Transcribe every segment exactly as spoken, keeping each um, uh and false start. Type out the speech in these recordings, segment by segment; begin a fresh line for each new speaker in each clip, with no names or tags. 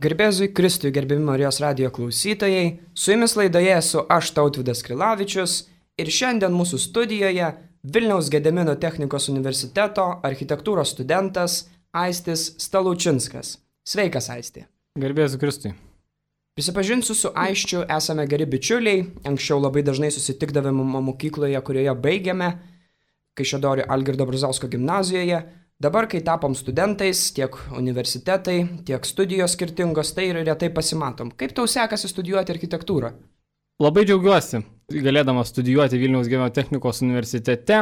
Garbėzui Kristui, gerbiami Marijos radijo klausytojai, su jumis laidoje esu aš Tautvydas Krilavičius ir šiandien mūsų studijoje Vilniaus Gedimino technikos universiteto architektūros studentas Aistis Stalaučinskas. Sveikas, Aisti.
Garbėzui Kristui.
Prisipažinsiu, su Aisčiu esame geri bičiuliai, anksčiau labai dažnai susitikdavome mokykloje, kurioje baigėme, Kaišiadorių Algirdo Brazausko gimnazijoje. Dabar, kai tapom studentais, tiek universitetai, tiek studijos skirtingos, tai ir retai pasimatom. Kaip tau sekasi studijuoti architektūrą?
Labai džiaugiuosi, galėdamas studijuoti Vilniaus Gedimino technikos universitete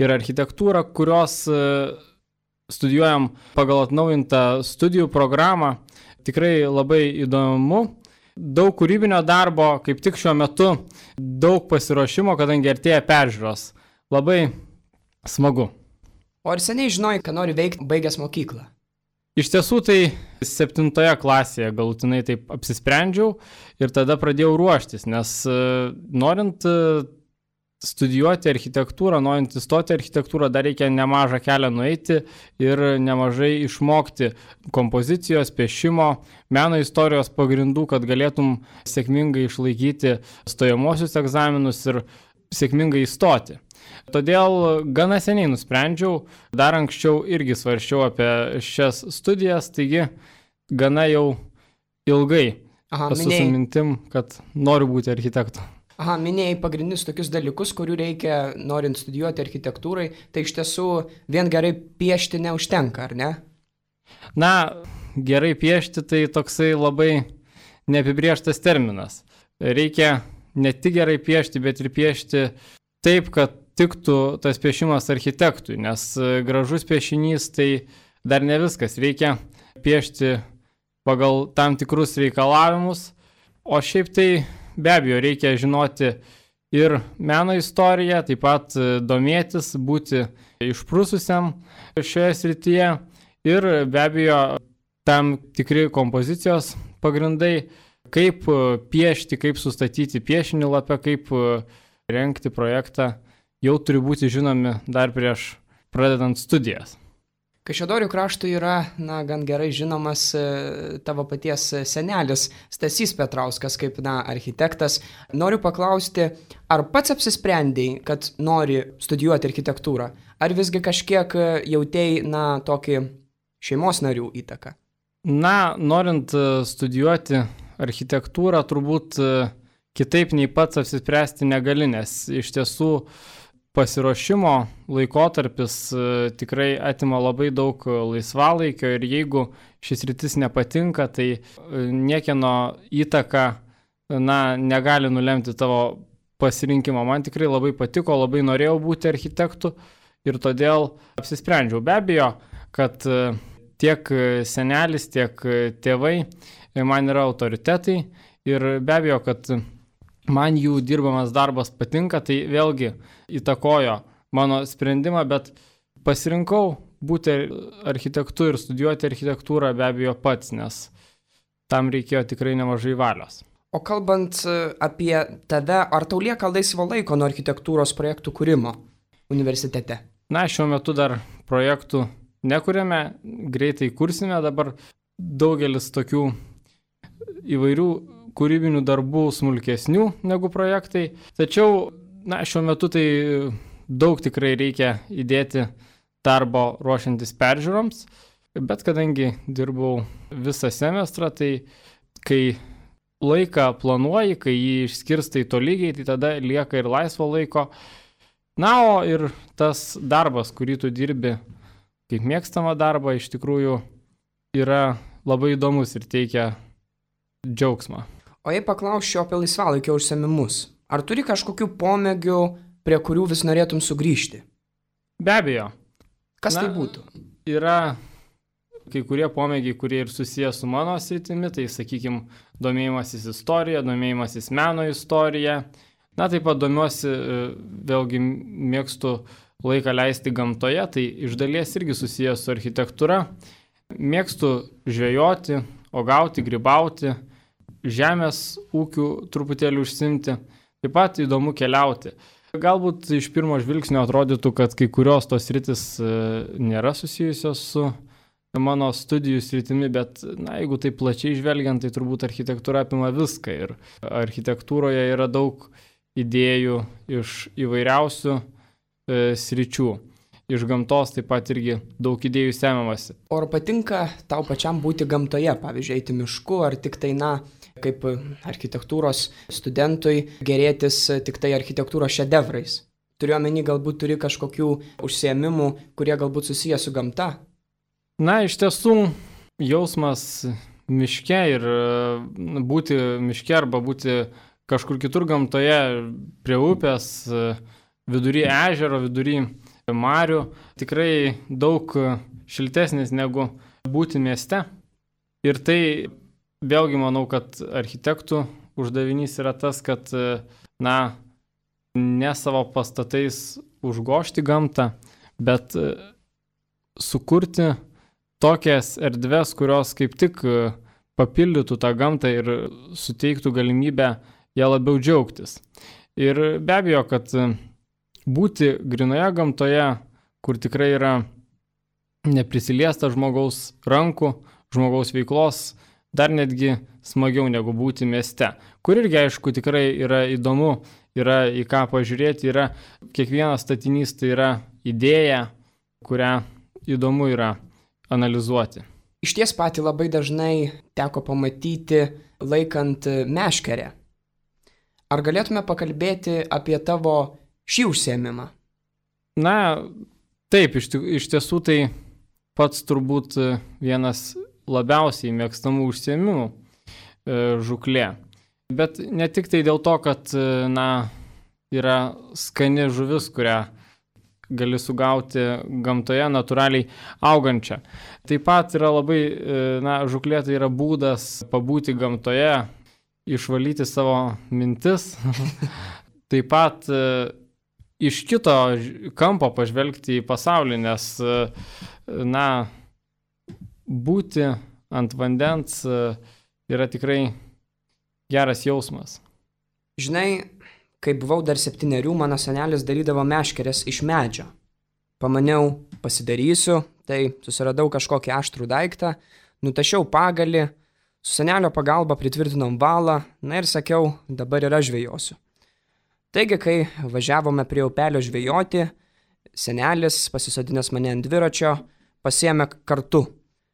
ir architektūrą, kurios studijuojam pagal atnaujintą studijų programą. Tikrai labai įdomu. Daug kūrybinio darbo, kaip tik šiuo metu, daug pasiruošimo, kadangi artėja peržiūros. Labai smagu.
O ar seniai žinojai, ką nori veikti baigęs mokyklą?
Iš tiesų tai septintoje klasėje galutinai taip apsisprendžiau ir tada pradėjau ruoštis, nes norint studijuoti architektūrą, norint įstoti architektūrą, dar reikia nemažą kelią nueiti ir nemažai išmokti kompozicijos, piešimo, meno istorijos pagrindų, kad galėtum sėkmingai išlaikyti stojamosius egzaminus ir sėkmingai įstoti. Todėl gana seniai nusprendžiau, dar anksčiau irgi svarsčiau apie šias studijas, taigi gana jau ilgai
Aha,
esu
minėjai,
su mintim, kad noriu būti architektu.
aha, minėjai pagrindinius tokius dalykus, kurių reikia norint studijuoti architektūrai, tai iš tiesų vien gerai piešti neužtenka, ar ne?
Na, gerai piešti tai toksai labai neapibrėžtas terminas. Reikia ne tik gerai piešti, bet ir piešti taip, kad tiktų tas piešimas architektui, nes gražus piešinys tai dar ne viskas. Reikia piešti pagal tam tikrus reikalavimus, o šiaip tai be abejo reikia žinoti ir meno istoriją, taip pat domėtis, būti išprususiam šioje srityje ir be abejo tam tikri kompozicijos pagrindai, kaip piešti, kaip sustatyti piešinį lape, kaip rengti projektą, jau turi būti žinomi dar prieš pradedant studijas.
Kaišiadorių kraštui yra, na, gan gerai žinomas e, tavo paties senelis Stasys Petrauskas kaip, na, architektas. Noriu paklausti, ar pats apsisprendėjai, kad nori studijuoti architektūrą, ar visgi kažkiek jautėjai, na, tokį šeimos narių įtaką?
Na, norint studijuoti architektūrą, turbūt kitaip nei pats apsispręsti negali, nes iš tiesų pasiruošimo laikotarpis tikrai atima labai daug laisvalaikio ir jeigu šis rytis nepatinka, tai niekieno įtaka, na, negali nulemti tavo pasirinkimo. Man tikrai labai patiko, labai norėjau būti architektu ir todėl apsisprendžiau. Be abejo, kad tiek senelis, tiek tėvai man yra autoritetai ir be abejo, kad man jų dirbamas darbas patinka, tai vėlgi įtakojo mano sprendimą, bet pasirinkau būti architektu ir studijuoti architektūrą be abejo pats, nes tam reikėjo tikrai nemažai valios.
O kalbant apie tave, ar tau lieka laisvo laiko nuo architektūros projektų kūrimo universitete?
Na, šiuo metu dar projektų nekuriame, greitai kursime, dabar daugelis tokių įvairių kūrybinių darbų smulkesnių negu projektai. Tačiau, na, šiuo metu tai daug tikrai reikia įdėti darbo ruošiantis peržiūroms, bet kadangi dirbau visą semestrą, tai kai laiką planuoji, kai jį išskirstai tolygiai, tai tada lieka ir laisvo laiko. Na, o ir tas darbas, kurį tu dirbi kaip mėgstamą darbą, iš tikrųjų yra labai įdomus ir teikia džiaugsmą.
O jei paklausčiau apie laisvalaikio užsiėmimus, ar turi kažkokių pomėgių, prie kurių vis norėtum sugrįžti?
Be abejo.
Kas
Na,
tai būtų?
Yra kai kurie pomėgiai, kurie ir susiję su mano sritimi, tai, sakykime, domėjimasis istorija, domėjimasis meno istorija. Na, taip pat domiuosi, vėlgi mėgstu laiką leisti gamtoje, tai iš dalies irgi susiję su architektūra. Mėgstu žvejoti, uogauti, grybauti, žemės ūkių truputėlį užsimti. Taip pat įdomu keliauti. Galbūt iš pirmo žvilgsnio atrodytų, kad kai kurios tos sritis nėra susijusios su mano studijų sritimi, bet na, jeigu tai plačiai žvelgiant, tai turbūt architektūra apima viską ir architektūroje yra daug idėjų iš įvairiausių e, sričių. Iš gamtos taip pat irgi daug idėjų semiamasi.
O ar patinka tau pačiam būti gamtoje, pavyzdžiui, eiti mišku, ar tik tai, na, kaip architektūros studentui gerėtis tik tai architektūros šedevrais? Turiu omeny, galbūt turi kažkokių užsiėmimų, kurie galbūt susiję su gamta?
Na, iš tiesų, jausmas miške ir būti miške arba būti kažkur kitur gamtoje, prie upės, vidury ežero, vidury marių, tikrai daug šiltesnis negu būti mieste. Ir tai vėlgi manau, kad architektų uždavinys yra tas, kad, na, ne savo pastatais užgožti gamtą, bet sukurti tokias erdves, kurios kaip tik papildytų tą gamtą ir suteiktų galimybę ją labiau džiaugtis. Ir be abejo, kad būti grinoje gamtoje, kur tikrai yra neprisiliesta žmogaus rankų, žmogaus veiklos, dar netgi smagiau negu būti mieste, kur irgi, aišku, tikrai yra įdomu, yra į ką pažiūrėti, yra kiekvienas statinys, tai yra idėja, kurią įdomu yra analizuoti.
Iš ties patį labai dažnai teko pamatyti laikant meškerę. Ar galėtume pakalbėti apie tavo šį užsiėmimą?
Na, taip, iš, iš tiesų tai pats turbūt vienas labiausiai mėgstamų užsiėmimų žūklė. Bet ne tik tai dėl to, kad, na, yra skani žuvis, kurią gali sugauti gamtoje natūraliai augančią. Taip pat yra labai, na, žūklė tai yra būdas pabūti gamtoje, išvalyti savo mintis. Taip pat iš kito kampo pažvelgti į pasaulį, nes, na, būti ant vandens yra tikrai geras jausmas.
Žinai, kai buvau dar septynerių, mano senelis darydavo meškeres iš medžio. Pamaniau, pasidarysiu, tai susiradau kažkokį aštrų daiktą, nutašiau pagalį, su senelio pagalba pritvirtinom valą, na ir sakiau, dabar ir aš žvejosiu. Taigi, kai važiavome prie upelio žvejoti, senelis, pasisodinęs mane ant dviračio, pasiėmė kartu.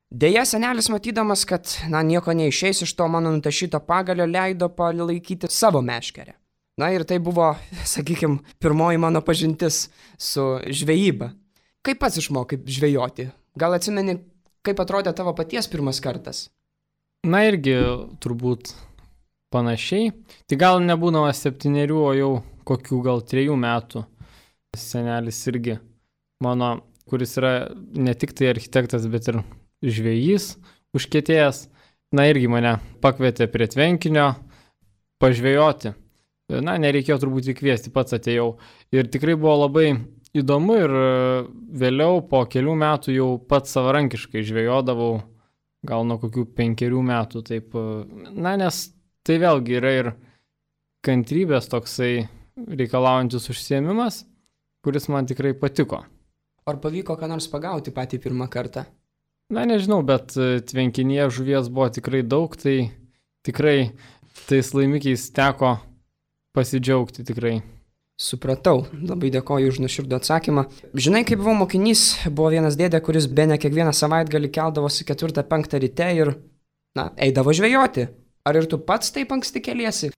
Deja, senelis matydamas, kad, na, nieko neišeis iš to mano nutašyto pagalio, leido palaikyti savo meškerę. Na ir tai buvo, sakykime, pirmoji mano pažintis su žvejyba. Kaip pats išmokai žvejoti? Gal atsimeni, kaip atrodė tavo paties pirmas kartas?
Na irgi turbūt panašiai. Tai gal nebūdamas septynerių, o jau kokių gal trejų metų senelis irgi mano, kuris yra ne tik tai architektas, bet ir žvejys užkietėjęs, na irgi mane pakvietė prie tvenkinio pažvejoti. Na, nereikėjo turbūt įkviesti, pats atėjau. Ir tikrai buvo labai įdomu ir vėliau po kelių metų jau pats savarankiškai žvejodavau, gal nuo kokių penkerių metų. Taip. Na, nes tai vėlgi yra ir kantrybės toksai reikalaujantis užsiėmimas, kuris man tikrai patiko.
Ar pavyko ką nors pagauti patį pirmą kartą?
Na, nežinau, bet tvenkinyje žuvies buvo tikrai daug, tai tikrai tais laimikiais teko pasidžiaugti tikrai.
Supratau, labai dėkoju už nuoširdų atsakymą. Žinai, kai buvau mokinys, buvo vienas dėdė, kuris bene kiekvieną savaitgalį keldavosi ketvirtą penktą ryte ir, na, eidavo žvejoti. Ar ir tu pats taip anksti keliesi?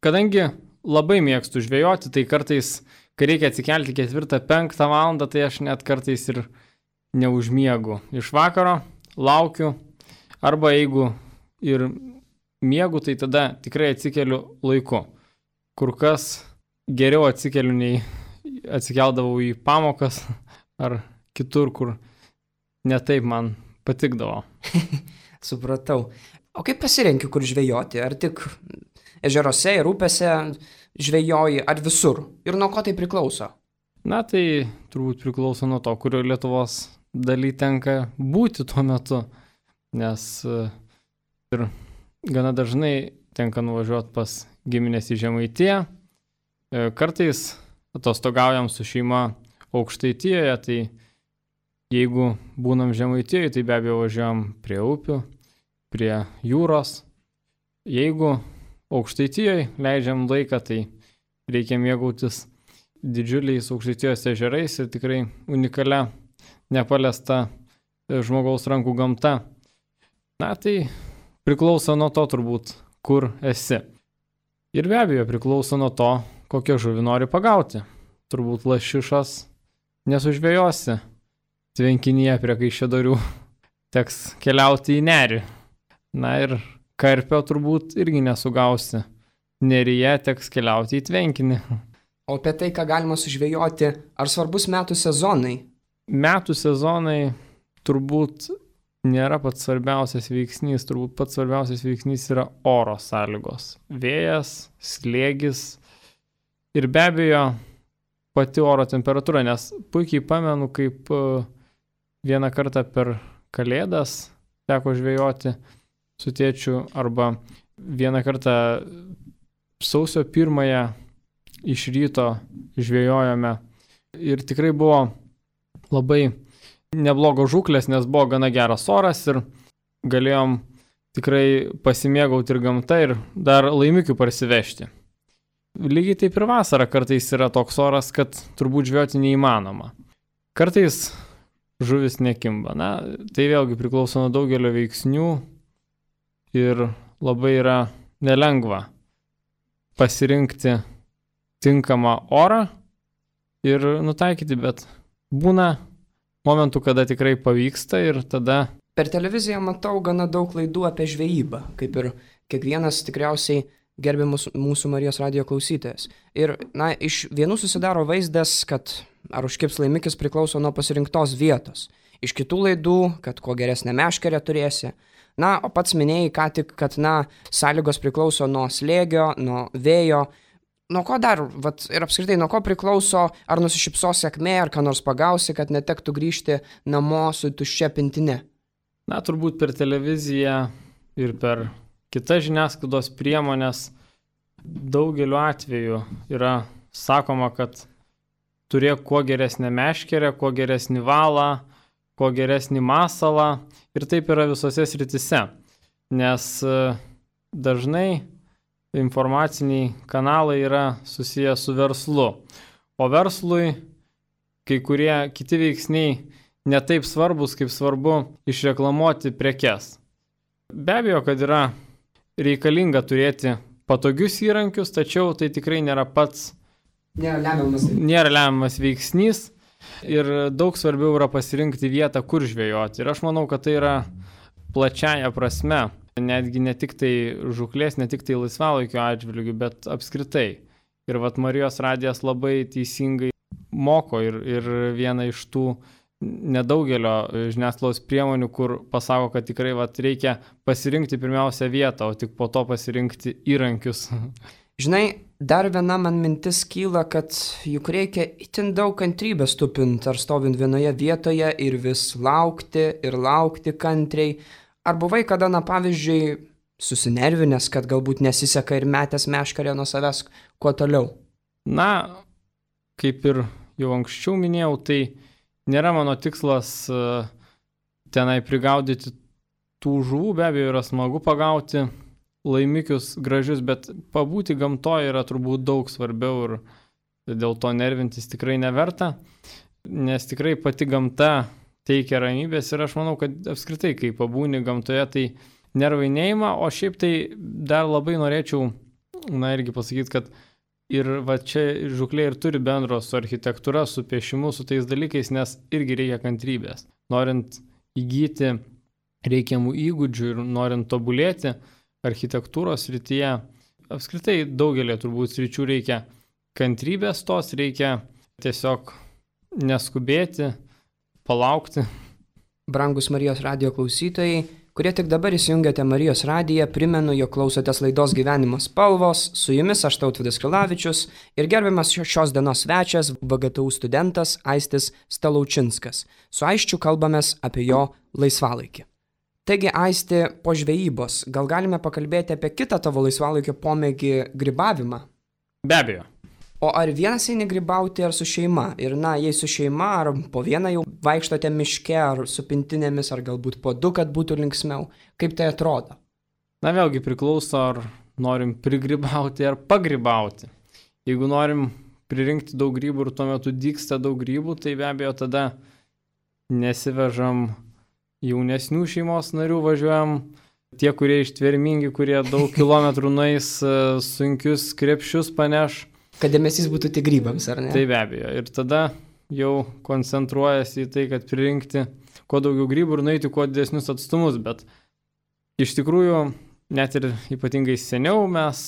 Kadangi labai mėgstu žvejoti, tai kartais, kai reikia atsikelti ketvirtą penktą valandą, tai aš net kartais ir neužmiegu. Iš vakaro laukiu, arba jeigu ir miegu, tai tada tikrai atsikeliu laiku. Kur kas geriau atsikeliu, nei atsikeldavau į pamokas ar kitur, kur ne taip man patikdavo.
Supratau. O kaip pasirenki, kur žvejoti? Ar tik ežeruose ir upėse žvejoji, ar visur? Ir nuo ko tai priklauso?
Na, tai turbūt priklauso nuo to, kurio Lietuvos daly tenka būti tuo metu, nes ir gana dažnai tenka nuvažiuoti pas giminės į Žemaitiją. Kartais atostogaujam su šeima Aukštaitijoje, tai Jeigu būnam Žemaitijoje, tai be abejo važiuojam prie upių, prie jūros. Jeigu Aukštaitijoje leidžiam laiką, tai reikia mėgautis didžiuliais Aukštaitijos ežerais ir tikrai unikalia, nepaliesta žmogaus rankų gamta. Na, tai priklauso nuo to turbūt, kur esi. Ir be abejo priklauso nuo to, kokią žuvį nori pagauti. Turbūt lašišos nesužvėjosi tvenkinyje prie Kaišiadorių, teks keliauti į nerį. Na ir karpio turbūt irgi nesugausi. Neryje teks keliauti į tvenkinį.
O apie tai, ką galima sužvejoti, ar svarbus metų sezonai?
Metų sezonai turbūt nėra pats svarbiausias veiksnys, turbūt pats svarbiausias veiksnys yra oro sąlygos. Vėjas, slėgis ir be abejo pati oro temperatūra, nes puikiai pamenu, kaip vieną kartą per Kalėdas teko žvejoti su tėčiu arba vieną kartą sausio pirmąją iš ryto žvejojome ir tikrai buvo labai neblogos žūklės, nes buvo gana geras oras ir galėjom tikrai pasimėgauti ir gamta ir dar laimikių parsivežti. Lygiai taip ir vasarą kartais yra toks oras, kad turbūt žvejoti neįmanoma. Kartais žuvis nekimba. Na, tai vėlgi priklauso nuo daugelio veiksnių ir labai yra nelengva pasirinkti tinkamą orą ir nutaikyti, bet būna momentų, kada tikrai pavyksta ir tada...
Per televiziją matau gana daug laidų apie žvejybą, kaip ir kiekvienas tikriausiai gerbiamus mūsų Marijos radijo klausytojas. Ir, na, iš vienų susidaro vaizdas, kad ar užkibs laimikis priklauso nuo pasirinktos vietos. Iš kitų laidų, kad kuo geresnę meškerę turėsi. Na, o pats minėjai ką tik, kad, na, sąlygos priklauso nuo slėgio, nuo vėjo. Nuo ko dar, vat, ir apskritai, nuo ko priklauso, ar nusišypsos sėkmė, ar ką nors pagausi, kad netektų grįžti namo su tuščia pintine?
Na, turbūt per televiziją ir per kitas žiniasklaidos priemonės daugeliu atveju yra sakoma, kad turėk kuo geresnę meškerę, kuo geresnį valą, kuo geresnį masalą ir taip yra visose sritise, nes dažnai informaciniai kanalai yra susiję su verslu, o verslui kai kurie kiti veiksniai netaip svarbus, kaip svarbu išreklamuoti prekes. Be abejo, kad yra reikalinga turėti patogius įrankius, tačiau tai tikrai nėra pats
nėra lemiamas,
nėra lemiamas veiksnys ir daug svarbiau yra pasirinkti vietą, kur žvejoti. Ir aš manau, kad tai yra plačiaja prasme, netgi ne tik tai žūklės, ne tik tai laisvalaikio atžvilgių, bet apskritai. Ir vat Marijos radijas labai teisingai moko ir, ir viena iš tų nedaugelio žiniasklaidos priemonių, kur pasako, kad tikrai vat, reikia pasirinkti pirmiausia vietą, o tik po to pasirinkti įrankius.
Žinai, dar viena man mintis kyla, kad juk reikia itin daug kantrybės tupint ar stovint vienoje vietoje ir vis laukti ir laukti kantriai. Ar buvai kada, na pavyzdžiui, susinervinęs, kad galbūt nesiseka ir metęs meškerę nuo savęs kuo toliau?
Na, kaip ir jau anksčiau minėjau, tai nėra mano tikslas tenai prigaudyti tų žuvų, be abejo yra smagu pagauti laimikius gražius, bet pabūti gamtoje yra turbūt daug svarbiau ir dėl to nervintis tikrai neverta, nes tikrai pati gamta teikia ramybės ir aš manau, kad apskritai, kai pabūni gamtoje, tai nervai neima, o šiaip tai dar labai norėčiau, na irgi pasakyti, kad ir va čia žūklė ir turi bendro su architektūra, su piešimu, su tais dalykais, nes irgi reikia kantrybės. Norint įgyti reikiamų įgūdžių ir norint tobulėti architektūros srityje, apskritai daugelį turbūt sričių reikia kantrybės tos, reikia tiesiog neskubėti, palaukti.
Brangus Marijos radijo klausytojai, kurie tik dabar įsijungiate Marijos radiją, primenu, jog klausotės laidos Gyvenimo spalvos, su jumis aš Tautvydas Krilavičius ir gerbiamas šios dienos svečias V G T U studentas Aistis Stalaučinskas. Su Aisčiu kalbamės apie jo laisvalaikį. Taigi, Aisti, po žvejybos, gal galime pakalbėti apie kitą tavo laisvalaikio pomėgį grybavimą?
Be abejo.
O ar vienas eini grybauti, ar su šeima? Ir na, jei su šeima, ar po vieną jau vaikštote miške, ar su pintinėmis, ar galbūt po du, kad būtų linksmiau? Kaip tai atrodo?
Na vėlgi priklauso, ar norim prigrybauti, ar pagrybauti. Jeigu norim pririnkti daug grybų ir tuo metu dygsta daug grybų, tai be abejo tada nesivežam jaunesnių šeimos narių, važiuojam tie, kurie ištvermingi, kurie daug kilometrų nueis, sunkius krepšius paneš.
Kad dėmesys būtų tik grybams, ar ne?
Tai be abejo. Ir tada jau koncentruojasi į tai, kad pririnkti kuo daugiau grybų ir nueiti kuo didesnius atstumus. Bet iš tikrųjų, net ir ypatingai seniau mes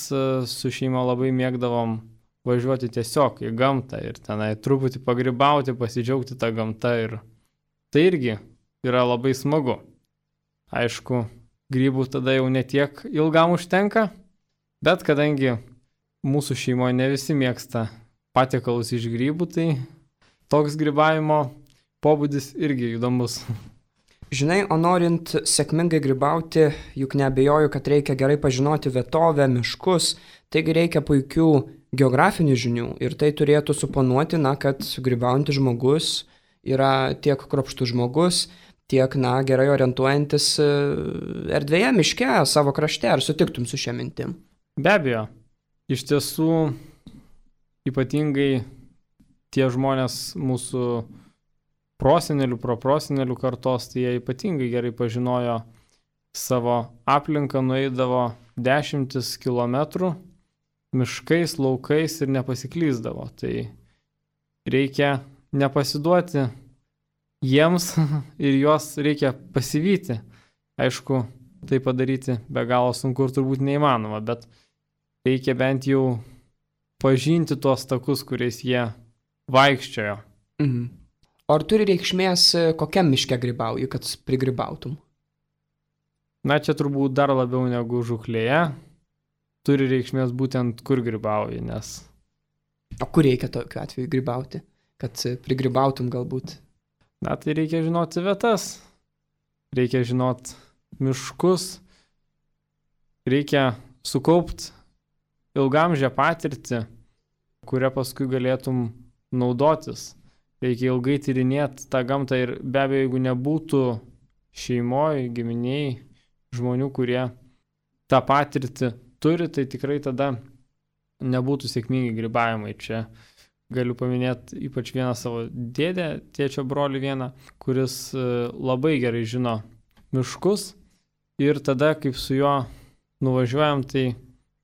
su šeima labai mėgdavom važiuoti tiesiog į gamtą ir tenai truputį pagrybauti, pasidžiaugti tą gamtą. Ir tai irgi yra labai smagu. Aišku, grybų tada jau netiek ilgam užtenka, bet kadangi mūsų šeimoje ne visi mėgsta patiekalus iš grybų, tai toks grybavimo pobūdis irgi įdomus.
Žinai, o norint sėkmingai grybauti, juk neabejoju, kad reikia gerai pažinoti vietovę, miškus, taigi reikia puikių geografinių žinių ir tai turėtų suponuoti, na, kad grybaujantis žmogus yra tiek kruopštus žmogus, tiek, na, gerai orientuojantis erdvėje, miške, savo krašte. Ar sutiktum su šia mintim?
Be abejo. Iš tiesų, ypatingai tie žmonės mūsų prosenelių, proprosenelių kartos, tai jie ypatingai gerai pažinojo savo aplinką, nueidavo dešimtis kilometrų miškais, laukais ir nepasiklysdavo. Tai reikia nepasiduoti jiems ir juos reikia pasivyti. Aišku, tai padaryti be galo sunku ir turbūt neįmanoma, bet reikia bent jau pažinti tuos takus, kuriais jie vaikščiojo.
Mhm. O ar turi reikšmės, kokiam miške grybauji, kad prigrybautum?
Na, čia turbūt dar labiau negu žūklėje. Turi reikšmės būtent kur grybauji, nes...
O kur reikia tokiu atveju grybauti, kad prigrybautum galbūt?
Na, tai reikia žinoti vietas. Reikia žinoti miškus. Reikia sukaupti ilgamžę patirtį, kurią paskui galėtum naudotis. Reikia ilgai tyrinėti tą gamtą ir be abejo, jeigu nebūtų šeimoje, giminiai, žmonių, kurie tą patirtį turi, tai tikrai tada nebūtų sėkmingi grybavimai. Čia galiu paminėti ypač vieną savo dėdę, tėčio brolį vieną, kuris labai gerai žino miškus ir tada, kaip su juo nuvažiuojam, tai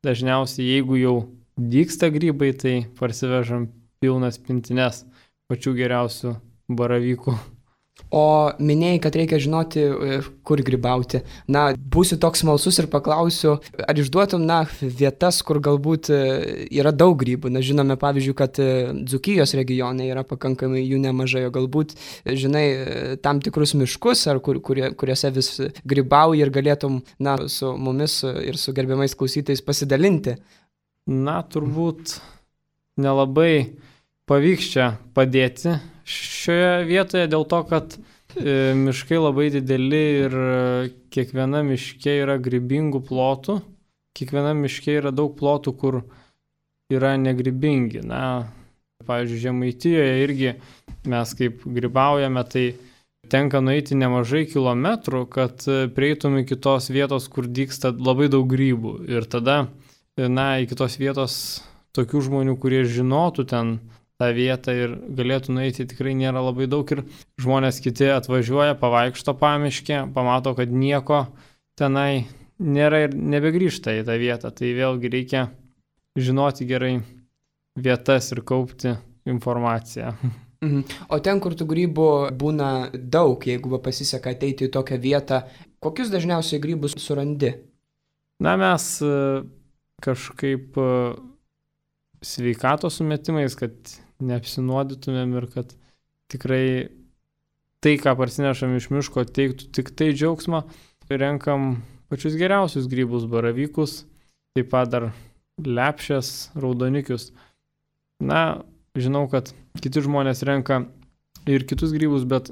dažniausiai, jeigu jau dygsta grybai, tai parsivežam pilnas pintines pačių geriausių baravykų.
O minėjai, kad reikia žinoti, kur grybauti. Na, būsiu toks smalsus ir paklausiu, ar išduotum, na, vietas, kur galbūt yra daug grybų. Na, žinome, pavyzdžiui, kad Dzūkijos regione yra pakankamai jų nemažai, o galbūt, žinai, tam tikrus miškus, ar kur, kurie, kuriuose vis grybauji ir galėtum, na, su mumis ir su gerbiamais klausytais pasidalinti.
Na, turbūt nelabai pavyks čia padėti šioje vietoje dėl to, kad e, miškai labai dideli ir kiekviena miške yra grybingų plotų. Kiekviena miške yra daug plotų, kur yra negrybingi. Na, pavyzdžiui, Žemaitijoje irgi mes kaip grybaujame, tai tenka nueiti nemažai kilometrų, kad prieitum iki tos vietos, kur dygsta labai daug grybų. Ir tada, na, iki tos vietos tokių žmonių, kurie žinotų ten tą vietą ir galėtų nueiti, tikrai nėra labai daug ir žmonės kiti atvažiuoja, pavaikšto pamiškę, pamato, kad nieko tenai nėra ir nebegrįžta į tą vietą. Tai vėlgi reikia žinoti gerai vietas ir kaupti informaciją.
Mhm. O ten, kur tų grybų būna daug, jeigu pasiseka ateiti į tokią vietą, kokius dažniausiai grybus surandi?
Na, mes kažkaip sveikatos sumetimais, kad neapsinuodytumėm ir kad tikrai tai, ką parsinešam iš miško, teiktų tik tai džiaugsmą. Renkam pačius geriausius grybus, baravykus, taip pat dar lepšės, raudonikius. Na, žinau, kad kiti žmonės renka ir kitus grybus, bet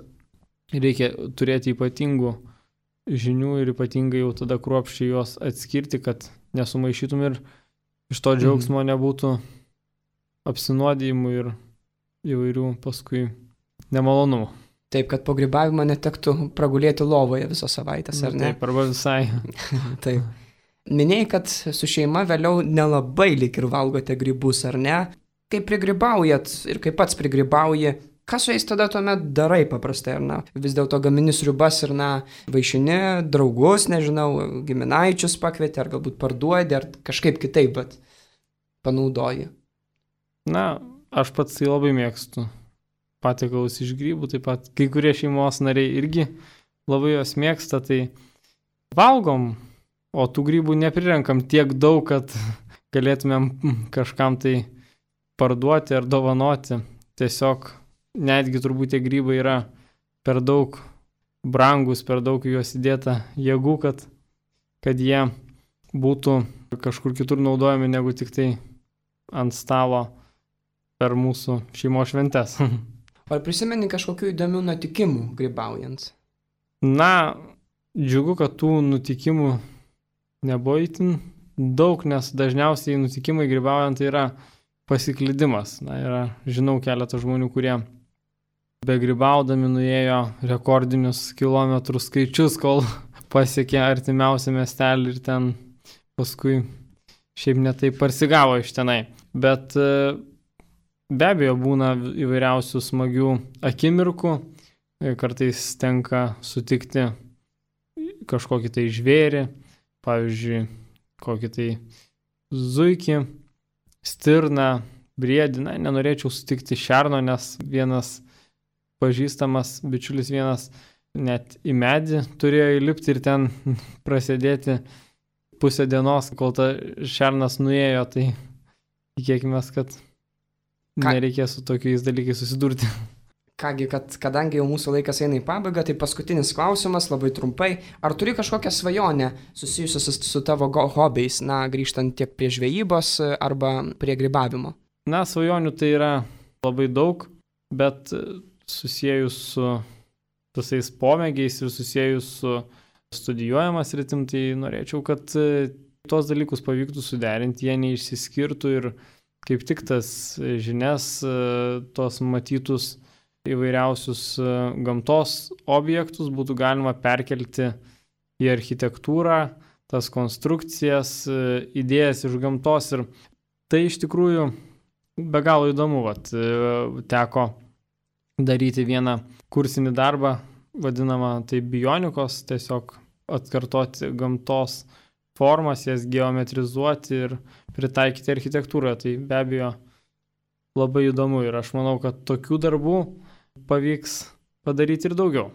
reikia turėti ypatingų žinių ir ypatingai jau tada kruopščiai juos atskirti, kad nesumaišytum ir iš to džiaugsmo nebūtų apsinuodijimų ir įvairių paskui nemalonumų.
Taip, kad po grybavimo netektų pragulėti lovoje visą savaitę, ar ne?
Taip, arba visai.
Taip. Minėjai, kad su šeima vėliau nelabai lyg ir valgote grybus, ar ne? Kai prigrybaujat ir kai pats prigrybauji, ką su jais tada tuomet darai paprastai, ar na? Vis dėlto gamini sriubas ir na, vaišini draugus, nežinau, giminaičius pakvieti, ar galbūt parduodi, ar kažkaip kitaip, bet panaudoji.
Na, aš pats tai labai mėgstu patiekalus iš grybų, taip pat kai kurie šeimos nariai irgi labai jos mėgsta, tai valgom, o tų grybų neprirenkam tiek daug, kad galėtumėm kažkam tai parduoti ar dovanoti. Tiesiog netgi turbūt tie grybai yra per daug brangus, per daug juos įdėta jėgų, kad, kad jie būtų kažkur kitur naudojami negu tik tai ant stalo per mūsų šeimos šventes.
Ar prisimeni kažkokių įdomių nutikimų grybaujant?
Na, džiugu, kad tų nutikimų nebuvo itin daug, nes dažniausiai nutikimai grybaujant tai yra pasiklydimas. Na, yra, žinau keletą žmonių, kurie be grybaudami nuėjo rekordinius kilometrų skaičius, kol pasiekė artimiausią miestelį ir ten paskui šiaip netai parsigavo iš tenai. Bet be abejo būna įvairiausių smagių akimirkų, kartais tenka sutikti kažkokį tai žvėrį, pavyzdžiui, kokį tai zuikį, stirną, briedį. Na, nenorėčiau sutikti šerno, nes vienas pažįstamas bičiulis vienas net į medį turėjo įlipti ir ten prasidėti pusę dienos, kol ta šernas nuėjo, tai tikėkime, kad Ką? nereikės su tokiais dalykais susidurti.
Kągi, kad kadangi jau mūsų laikas eina į pabaigą, tai paskutinis klausimas, labai trumpai. Ar turi kažkokią svajonę susijusią su, su tavo hobiais, na, grįžtant tiek prie žvejybos arba prie grybavimo?
Na, svajonių tai yra labai daug, bet susijęs su visais pomėgiais ir susijęs su studijuojamas rytim, tai norėčiau, kad tos dalykus pavyktų suderinti, jie neišsiskirtų ir kaip tik tas žinias, tos matytus įvairiausius gamtos objektus būtų galima perkelti į architektūrą, tas konstrukcijas, idėjas iš gamtos ir tai iš tikrųjų be galo įdomu. Vat, teko daryti vieną kursinį darbą, vadinamą tai bionikos, tiesiog atkartoti gamtos formas, jas geometrizuoti ir pritaikyti architektūroje. Tai be abejo labai įdomu ir aš manau, kad tokių darbų pavyks padaryti ir daugiau.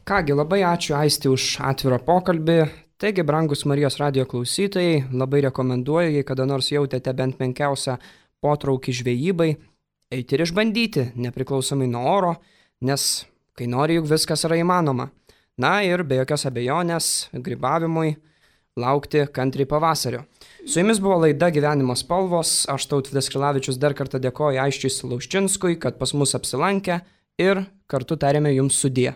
Kągi, labai ačiū Aisti už atvirą pokalbį. Taigi, brangus Marijos radijo klausytojai, labai rekomenduoju, jei kada nors jautėte bent menkiausią potraukį žvejybai, eiti ir išbandyti, nepriklausomai nuo oro, nes kai nori, juk viskas yra įmanoma. Na ir be jokios abejonės grybavimui laukti kantriai pavasario. Su jumis buvo laida Gyvenimo spalvos, aš Tautvydas Krilavičius dar kartą dėkoju Aisčiui Lauščinskui, kad pas mus apsilankė ir kartu tarėme jums sudie.